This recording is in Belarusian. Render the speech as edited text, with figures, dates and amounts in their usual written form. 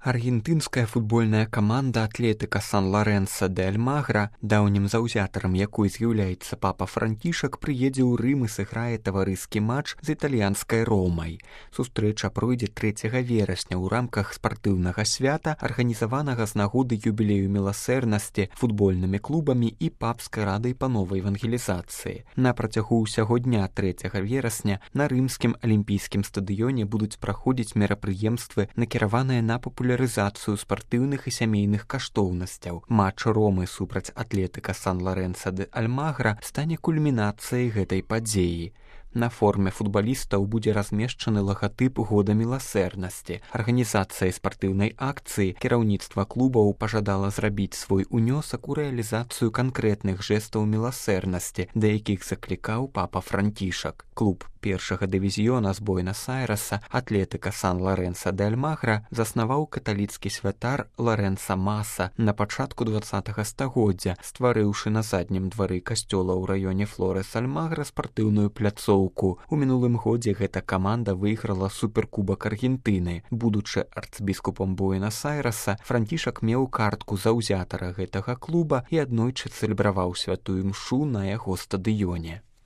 Аргентынская футбольная каманда Атлетика Сан-Лоренсо де Альмагра, даўнім заўзятарам якой з'яўляецца папа Францішак, прыедзе ў Рым і сыграе таварыскі матч з італьянскай Ромай. Сустрэча пройдзе 3 верасня ў рамках спартыўнага свята, арганізаванага з нагоды юбілею міласэрнасці футбольнымі клубамі і папскай радай па новай евангелізацыі. На працягу ўсяго дня 3 верасня на рымскім алімпійскім стадыёне будуць праходзіць мерапрыемствы, накіраваныя на папулярызацыю спартыўных і сямейных каштоўнасцяў. Матч Ромы супраць Атлетика Сан-Лоренсо де Альмагра стане кульмінацыяй гэтай падзеі. На форме футбалістаў будзе размешчаны лагатып года міласэрнасці. Арганізацыяй спартыўнай акцыі кіраўніцтва клубаў пажадала зрабіць свой унёсак у рэалізацыю канкрэтных жэстаў міласэрнасці, да якіх заклікаў папа Францішак. Клуб першага дывізіёна з Буэнас-Айрэса Атлетика Сан-Лоренсо де Альмагра заснаваў каталіцкі святар Лорэнца Маса на пачатку 20-го стагоддзя, стварыўшы на заднім двары касцёла ў раёне Флорес-Альмагра спартыўную пляцоўку. У мінулым годзе гэта каманда выйграла суперкубак Аргентыны. Будучы арцбіскупам Буэнас-Айрэса, Францішак меў картку заўзятара гэтага клуба і аднойчы цэлебраваў святую мшу на яго стадыёне.